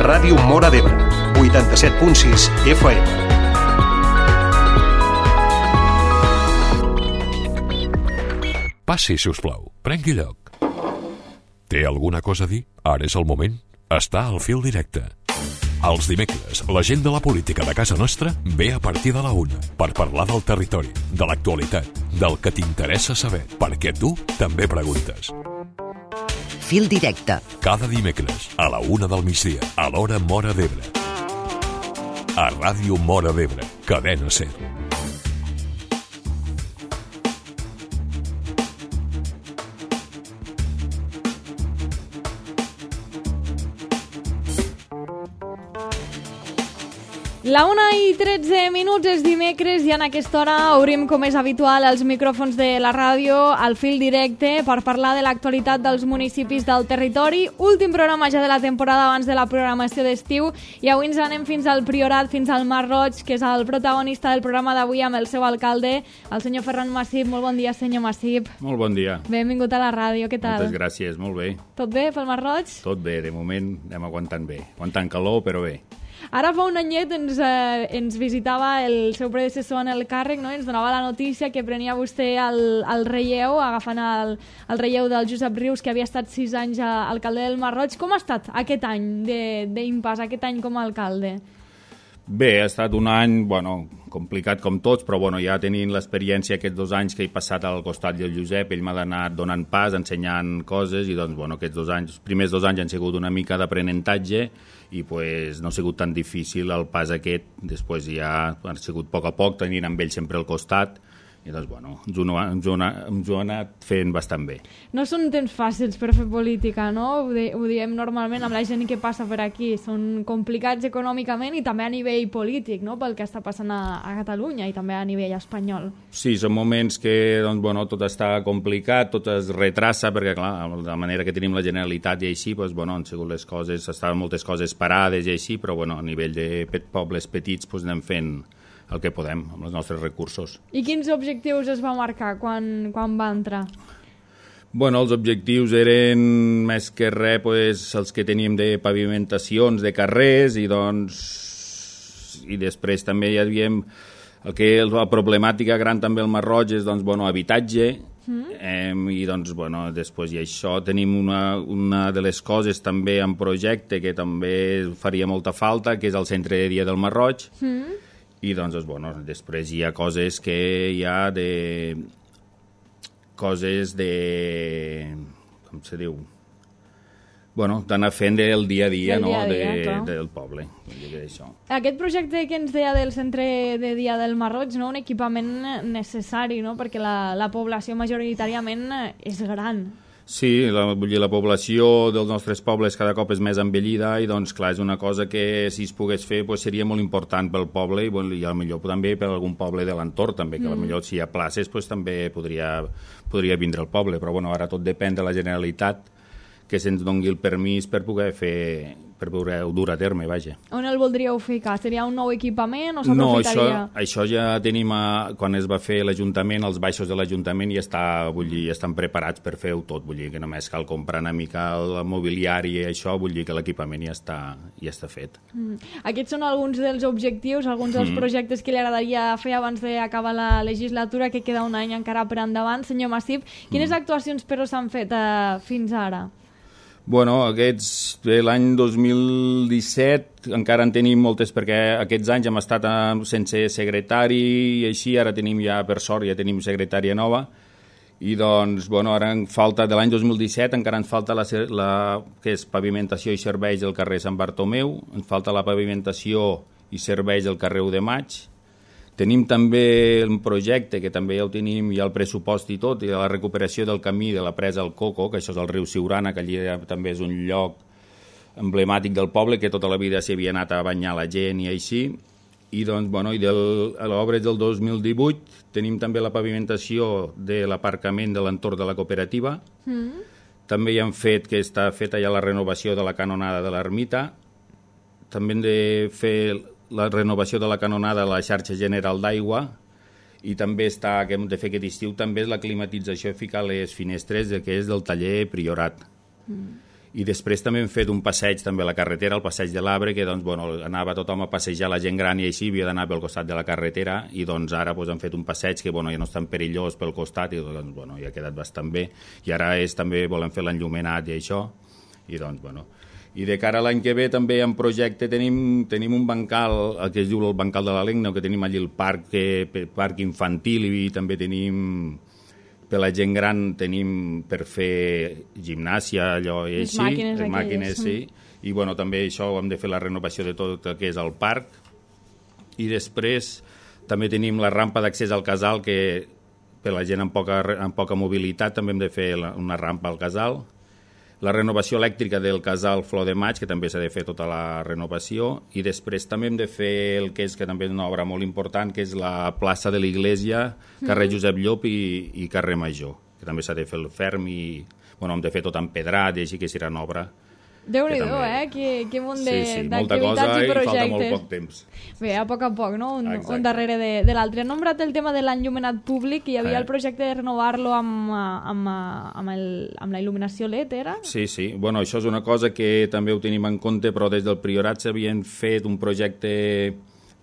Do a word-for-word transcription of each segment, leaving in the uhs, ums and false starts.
Ràdio Móra d'Ebre, vuitanta-set punt sis F M. Passi, si us plau. Prengui lloc. Té alguna cosa a dir? Ara és el moment. Està al fil directe. Els dimecres, la gent de la política de casa nostra ve a partir de la una per parlar del territori, de l'actualitat, del que t'interessa saber, perquè tu també preguntes. Fil directe. Cada dimecres, a la una del migdia, a l'hora Móra d'Ebre. A Ràdio Móra d'Ebre, Cadena Ser. La una i tretze minuts és dimecres i en aquesta hora obrim, com és habitual, els micròfons de la ràdio al fil directe per parlar de l'actualitat dels municipis del territori. Últim programa ja de la temporada abans de la programació d'estiu i avui ens anem fins al Priorat, fins al Masroig, que és el protagonista del programa d'avui amb el seu alcalde, el senyor Ferran Massip. Molt bon dia, senyor Massip. Molt bon dia. Benvingut a la ràdio, què tal? Moltes gràcies, molt bé. Tot bé pel Masroig? Tot bé, de moment anem aguantant bé. Aguantant calor, però bé. Ara fa un anyet ens, eh, ens visitava el seu predecessor en el càrrec, no? Ens donava la notícia que prenia vostè el, el relleu, agafant el, el relleu del Josep Rius, que havia estat sis anys a, alcalde del Masroig. Com ha estat aquest any d'impàs, aquest any com a alcalde? Bé, ha estat un any, bueno, complicat com tots, però bueno, ja tenint l'experiència aquests dos anys que he passat al costat del Josep, ell m'ha anat donant pas, ensenyant coses, i doncs, bueno, aquests dos anys, els primers dos anys han sigut una mica d'aprenentatge, i pues, no ha sigut tan difícil el pas aquest, després ja ha sigut a poc a poc, tenint amb ell sempre al costat, i doncs, bueno, ens ho, ens, ho, ens ho ha anat fent bastant bé. No són temps fàcils per fer política, no? Ho, di ho diem normalment amb la gent que passa per aquí. Són complicats econòmicament i també a nivell polític, no? Pel que està passant a, a Catalunya i també a nivell espanyol. Sí, són moments que doncs, bueno, tot està complicat, tot es retrassa, perquè clar, de la manera que tenim la Generalitat i així, doncs, bueno, han sigut les coses, estaven moltes coses parades i així, però bueno, a nivell de pet pobles petits doncs, anem fent el que podem amb els nostres recursos. I quins objectius es va marcar quan, quan va entrar? Bueno, els objectius eren més que res pues, els que teníem de pavimentacions de carrers i doncs i després també hi havíem el que la problemàtica gran també al Masroig és doncs, bueno, habitatge mm. eh, i doncs bueno, després i això tenim una, una de les coses també en projecte que també faria molta falta, que és el centre de dia del Masroig. Mm. I doncs, bueno, després hi ha coses que hi ha de... coses de... com se diu? Bueno, d'anar fent del dia a dia, del no? dia a dia, de, clar. del poble. Això. Aquest projecte que ens deia del centre de dia del Masroig, no? Un equipament necessari, no? Perquè la, la població majoritàriament és gran. Sí, la, vull dir, la població dels nostres pobles cada cop és més envellida i doncs clar, és una cosa que si es pogués fer pues, seria molt important pel poble i, bueno, i potser també per algun poble de l'entorn també, que mm. potser si hi ha places pues, també podria, podria vindre al poble, però bueno, ara tot depèn de la Generalitat que se'ns doni el permís per poder fer per poder dur a terme, vaja. On el voldríeu ficar? Seria un nou equipament o No, s'aprofitaria? això, això ja tenim, a, quan es va fer l'Ajuntament, els baixos de l'Ajuntament ja, està, vull dir, ja estan preparats per fer-ho tot, vull dir que només cal comprar una mica el mobiliari i això, vull dir que l'equipament ja, està, ja està fet. Mm. Aquests són alguns dels objectius, alguns dels mm. projectes que li agradaria fer abans d'acabar la legislatura, que queda un any encara per endavant. Senyor Massip, quines mm. actuacions però s'han fet eh, fins ara? Bueno, aquests, l'any dos mil disset encara en tenim moltes perquè aquests anys hem estat sense secretari i així, ara tenim ja, per sort, ja tenim secretària nova i doncs, bueno, ara en falta, de l'any dos mil disset encara ens falta la, la que és pavimentació i serveis del carrer Sant Bartomeu, ens falta la pavimentació i serveis del carrer u de Maig. Tenim també un projecte que també ja ho tenim, ja el pressupost i tot, i la recuperació del camí de la presa al Coco, que això és el riu Siurana, que allí també és un lloc emblemàtic del poble, que tota la vida s'hi havia anat a banyar la gent i així. I doncs, bueno, i del, a l'obra del dos mil divuit tenim també la pavimentació de l'aparcament de l'entorn de la cooperativa. Mm. També hi hem fet, que està feta ja la renovació de la canonada de l'ermita. També hem de fer la renovació de la canonada de la xarxa general d'aigua i també està, que hem de fer aquest estiu, també és la climatització, ficar les finestres que és del taller Priorat. Mm. I després també hem fet un passeig també a la carretera, el passeig de l'Arbre, que doncs, bueno, anava tothom a passejar la gent gran i així havia d'anar pel costat de la carretera, i doncs ara doncs, hem fet un passeig que bueno, ja no és tan perillós pel costat i doncs, bueno, ja ha quedat bastant bé. I ara és, també volem fer l'enllumenat i això, i doncs, bueno... I de cara a l'any que ve també en projecte tenim, tenim un bancal, el que es diu el bancal de la Lengna, que tenim allí el parc, que, parc infantil, i també tenim... Per la gent gran tenim per fer gimnàsia, allò i així, màquines, les màquines, sí. I bueno, també això hem de fer la renovació de tot el que és el parc. I després també tenim la rampa d'accés al casal, que per la gent amb poca, amb poca mobilitat també hem de fer la, una rampa al casal. La renovació elèctrica del casal Flor de Maig, que també s'ha de fer tota la renovació, i després també hem de fer el que és que també és una obra molt important, que és la plaça de l'Iglésia, carrer Josep Llop i, i carrer Major, que també s'ha de fer el ferm i bueno, hem de fer tot empedrat i així que serà una obra. Déu-n'hi-do, també... eh? Que, que munt sí, sí, d'activitats i projectes. I falta molt poc temps. Bé, a poc a poc, no? Un, un darrere de, de l'altre. He nombrat el tema de l'enllumenat públic, i hi havia eh. el projecte de renovar-lo amb, amb, amb, el, amb la il·luminació L E D, era? Sí, sí. Bueno, això és una cosa que també ho tenim en compte, però des del Priorat s'havien fet un projecte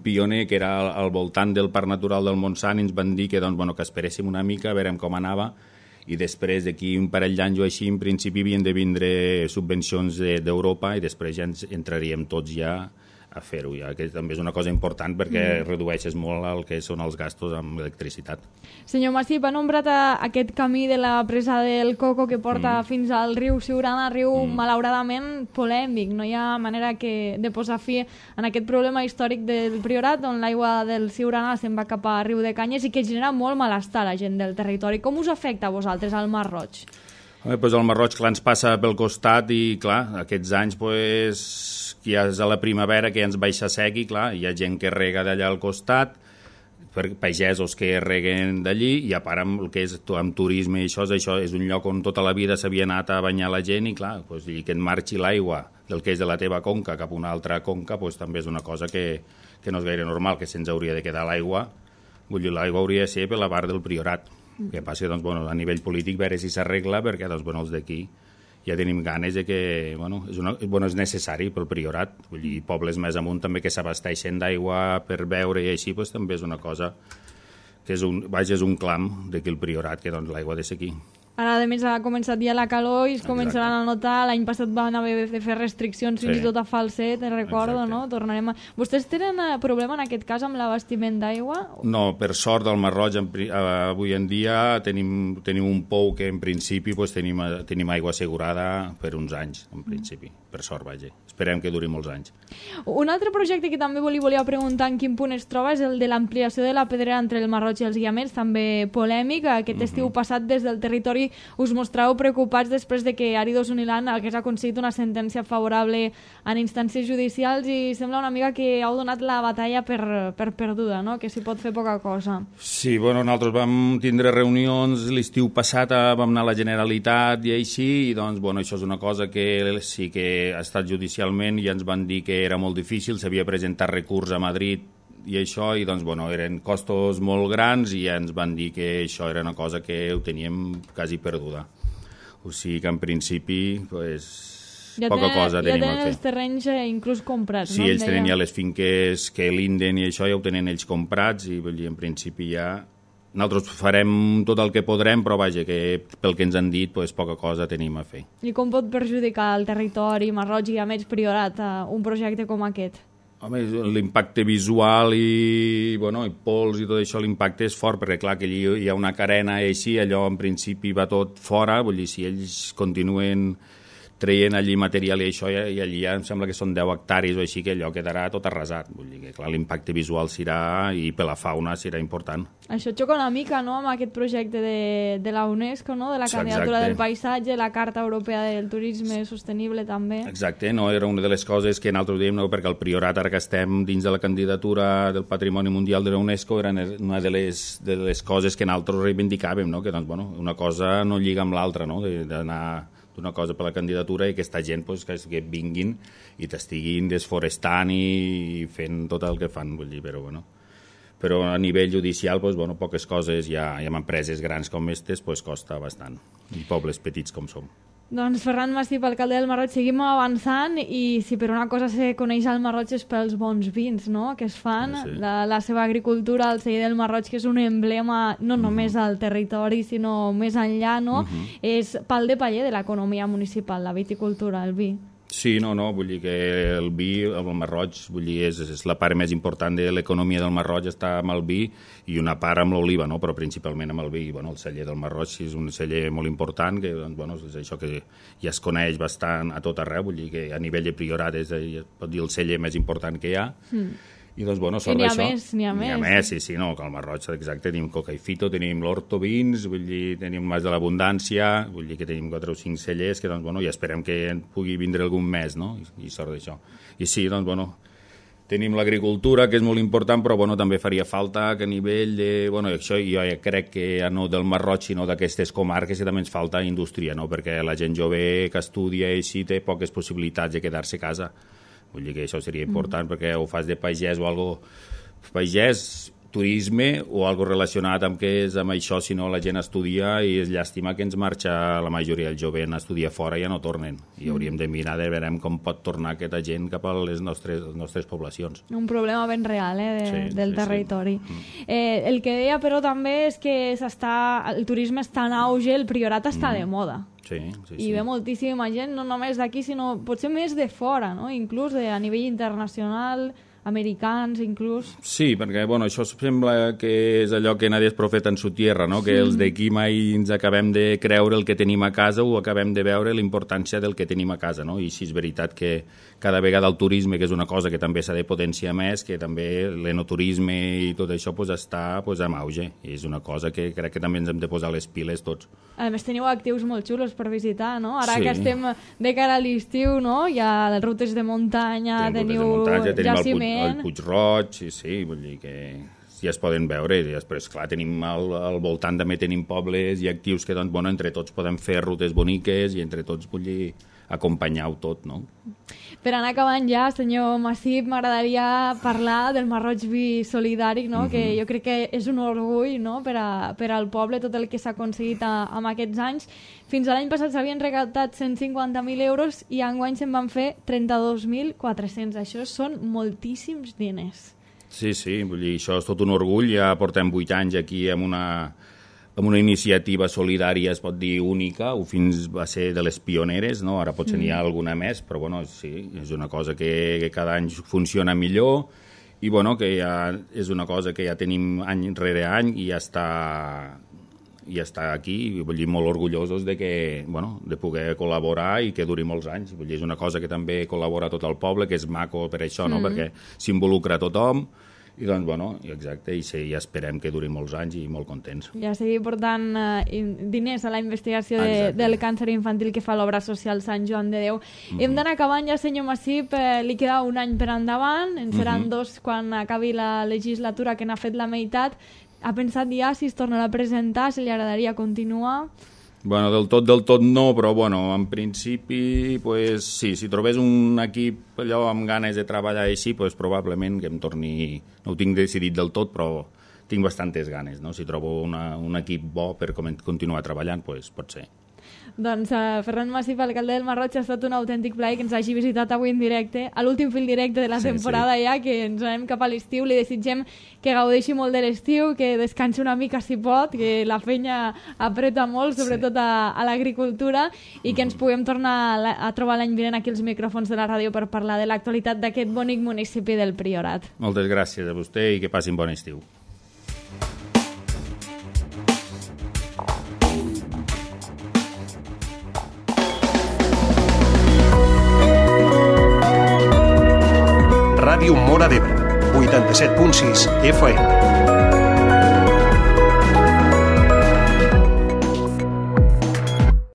pioner que era al, al voltant del Parc Natural del Montsant, i ens van dir que, doncs, bueno, que esperéssim una mica, a veure com anava, i després d'aquí un parell d'anys o així, en principi havien de vindre subvencions d'Europa, i després ja ens entraríem tots ja a fer-ho, ja, que també és una cosa important perquè mm. redueixes molt el que són els gastos amb electricitat. Senyor Massip, ha nombrat aquest camí de la presa del Coco que porta mm. fins al riu Siurana, riu mm. malauradament polèmic. No hi ha manera que de posar fi en aquest problema històric del Priorat, on l'aigua del Siurana se'n va cap a Riu de Canyes i que genera molt malestar a la gent del territori. Com us afecta a vosaltres al Mar Roig? Home, doncs el Mar Roig, clar, ens passa pel costat i, clar, aquests anys, pues, que ja és a la primavera, que ja ens baixa sec i, clar, hi ha gent que rega d'allà al costat, per pagesos que reguen d'allí, i a part amb el que és amb turisme i això, això és un lloc on tota la vida s'havia anat a banyar la gent i, clar, pues, i que et marxi l'aigua del que és de la teva conca cap a una altra conca, pues, també és una cosa que, que no és gaire normal, que se'ns hauria de quedar l'aigua. Vull dir, l'aigua hauria de ser per la part del Priorat. El que passa, doncs, bueno, a nivell polític veure si s'arregla, perquè doncs, bueno, els d'aquí ja tenim ganes de que bueno, és, una, bueno, és necessari pel Priorat. Vull dir, pobles més amunt també que s'abasteixen d'aigua per beure i així, doncs, també és una cosa que és un, vaja, és un clam d'aquí el Priorat, que doncs, l'aigua ha de ser aquí. Ara, a més, ha començat ja la calor i es començaran a notar. L'any passat van haver de fer restriccions fins i tot a Falset, recordo, exacte. No? Tornarem a... Vostès tenen problema en aquest cas amb l'abastiment d'aigua? No, per sort del Mar Roig, en, avui en dia tenim, tenim un pou que en principi pues, tenim, tenim aigua assegurada per uns anys, en principi. Per sort, vaja. Esperem que duri molts anys. Un altre projecte que també li volia preguntar en quin punt es troba és el de l'ampliació de la pedrera entre el Mar Roig i els Guiamets, també polèmic. Aquest mm-hmm. estiu passat des del territori us mostràveu preocupats després de que Áridos Uniland hagués aconseguit una sentència favorable en instàncies judicials i sembla una mica que heu donat la batalla per, per perduda, no? Que s'hi pot fer poca cosa. Sí, bueno, nosaltres vam tindre reunions l'estiu passat, vam anar a la Generalitat i així, i doncs, bueno, això és una cosa que sí que ha estat judicialment i ens van dir que era molt difícil, s'havia presentat recurs a Madrid i això, i doncs, bueno, eren costos molt grans i ja ens van dir que això era una cosa que ho teníem quasi perduda. O sigui que en principi, pues, ja poca tenen, cosa tenim ja a fer. Ja tenen els terrenys eh, inclús comprats, sí, no? Sí, ells tenen ja les finques que linden i això ja ho tenen ells comprats i vull dir, en principi ja... Nosaltres farem tot el que podrem, però vaja, que pel que ens han dit, pues, poca cosa tenim a fer. I com pot perjudicar el territori, Mar Roig i a més Priorat, un projecte com aquest? Home, l'impacte visual i, bueno, i pols i tot això, l'impacte és fort, perquè clar que allí hi ha una carena i així, allò en principi va tot fora, vull dir, si ells continuen traient allí material i això, i allí ja em sembla que són deu hectàrees o així, que allò quedarà tot arrasat. Vull dir que, clar, l'impacte visual serà, i per la fauna serà important. Això xoca una mica, no?, amb aquest projecte de, de la UNESCO, no?, de la candidatura Exacte. Del paisatge, la Carta Europea del Turisme Sostenible, també. Exacte, no? Era una de les coses que nosaltres dèiem, no?, perquè el Priorat, ara que estem dins de la candidatura del Patrimoni Mundial de la UNESCO, era una de les, de les coses que nosaltres reivindicàvem, no?, que, doncs, bueno, una cosa no lliga amb l'altra, no?, d'anar d'una cosa per la candidatura i aquesta gent pues, que, que vinguin i t'estiguin desforestant i fent tot el que fan, vull dir, però bueno. Però a nivell judicial, pues, bueno, poques coses, ja, ja amb empreses grans com aquestes, pues, costa bastant, i pobles petits com som. Doncs Ferran Massip, alcalde del Marroig, seguim avançant i si per una cosa se coneix el Marroig és pels bons vins, no?, que es fan, sí. la, la seva agricultura, el celler del Marroig, que és un emblema no només al territori, sinó més enllà, no?, uh-huh. és pal de paller de l'economia municipal, la viticultura, el vi. Sí, no, no, vull dir que el vi, el Marroig, vull dir, és, és la part més important de l'economia del Marroig, està amb el vi i una part amb l'oliva, no?, però principalment amb el vi. Bueno, el celler del Marroig és un celler molt important, que doncs, bueno, és això que ja es coneix bastant a tot arreu, vull dir que a nivell de Priorat és, es pot dir, el celler més important que hi ha. Mm. I doncs, bueno, sort d'això. I n'hi ha més, n'hi ha més. N'hi ha més, sí, sí, no, que al Marroig, exacte, tenim Coca i Fito, tenim l'Horto Vins, vull dir, tenim Mas de l'Abundància, vull dir que tenim quatre o cinc cellers, que, doncs, bueno, ja esperem que en pugui vindre algun més, no?, i, i sort d'això. I sí, doncs, bueno, tenim l'agricultura, que és molt important, però, bueno, també faria falta que a nivell de, bueno, això jo ja crec que ja no del Marroig, sinó d'aquestes comarques, que també ens falta indústria, no?, perquè la gent jove que estudia i així té poques possibilitats de quedar-se a casa. Vull dir que això seria important, mm. perquè ho fas de pagès o algo pagès, turisme o algo relacionat amb què és amb això, si no la gent estudia i és llàstima que ens marxa la majoria del jovent a estudiar fora i ja no tornen. I mm. hauríem de mirar de veure com pot tornar aquesta gent cap a les nostres, les nostres poblacions. Un problema ben real, eh, de, sí, del sí, territori. Sí. Mm. Eh, el que deia, però, també és que s'està, el turisme està en auge, el Priorat està mm. de moda. Sí, sí, I sí. ve moltíssima gent, no només d'aquí, sinó potser més de fora, no? Inclús de, a nivell internacional, americans, inclús. Sí, perquè, bueno, això sembla que és allò que nadie és profeta en su tierra, no? Que els d'aquí mai ens acabem de creure el que tenim a casa o acabem de veure la importància del que tenim a casa, no? I sí, és veritat que cada vegada el turisme, que és una cosa que també s'ha de potenciar més, que també l'enoturisme i tot això pues, està pues, en auge. I és una cosa que crec que també ens hem de posar les piles tots. A més, teniu actius molt xulos per visitar, no? Ara sí. que estem de cara a l'estiu, no? Hi ha les rutes de muntanya, tenim teniu rutes de muntanya, tenim jaciment... El Puig Roig, sí, sí, vull dir que ja es poden veure, i després, clar, tenim al, al voltant també tenim pobles i actius que, doncs, bueno, entre tots podem fer rutes boniques i entre tots, vull dir, acompanyar-ho tot, no? Per anar acabant ja, senyor Massip, m'agradaria parlar del Marroig Vi Solidari, no? Uh-huh. Que jo crec que és un orgull, no? per, a, per al poble, tot el que s'ha aconseguit a, amb aquests anys. Fins a l'any passat s'havien recaptat cent cinquanta mil euros i enguany se'n van fer trenta-dos mil quatre-cents. Això són moltíssims diners. Sí, sí, vull dir, això és tot un orgull. Ja portem vuit anys aquí amb una... amb una iniciativa solidària, es pot dir, única, o fins va ser de les pioneres, no? Ara potser mm. n'hi ha alguna més, però bueno, sí, és una cosa que, que cada any funciona millor i bueno, que ja és una cosa que ja tenim any rere any i ja està, ja està aquí, i vull dir, molt orgullosos de, que, bueno, de poder col·laborar i que duri molts anys. Vull dir, és una cosa que també col·labora tot el poble, que és maco per això, no? Mm. Perquè s'involucra tothom. I doncs, bueno, exacte, i sí, ja esperem que duri molts anys i molt contents. Ja seguir portant uh, diners a la investigació de, del càncer infantil que fa l'obra social Sant Joan de Déu. Mm-hmm. Hem d'anar acabant ja, senyor Massip, eh, li queda un any per endavant, en seran mm-hmm. dos quan acabi la legislatura, que n'ha fet la meitat. Ha pensat ja si es tornarà a presentar, si li agradaria continuar? Bueno, del tot, del tot no, però bueno, en principi, pues, sí, si trobés un equip allò amb ganes de treballar així, pues, probablement que em torni... No ho tinc decidit del tot, però tinc bastantes ganes, no? Si trobo una, un equip bo per continuar treballant, pues, pot ser. Doncs uh, Ferran Massip, alcalde del Marroig, ha estat un autèntic plaer que ens hagi visitat avui en directe, a l'últim fil directe de la sí, temporada sí. ja, que ens anem cap a l'estiu. Li desitgem que gaudeixi molt de l'estiu, que descansi una mica si pot, que la feina apreta molt, sobretot sí. a, a l'agricultura, i que ens puguem tornar a, a trobar l'any vinent aquí als micròfons de la ràdio per parlar de l'actualitat d'aquest bonic municipi del Priorat. Moltes gràcies a vostè i que passin bon estiu. Ràdio Móra d'Ebre, vuitanta-set punt sis F M.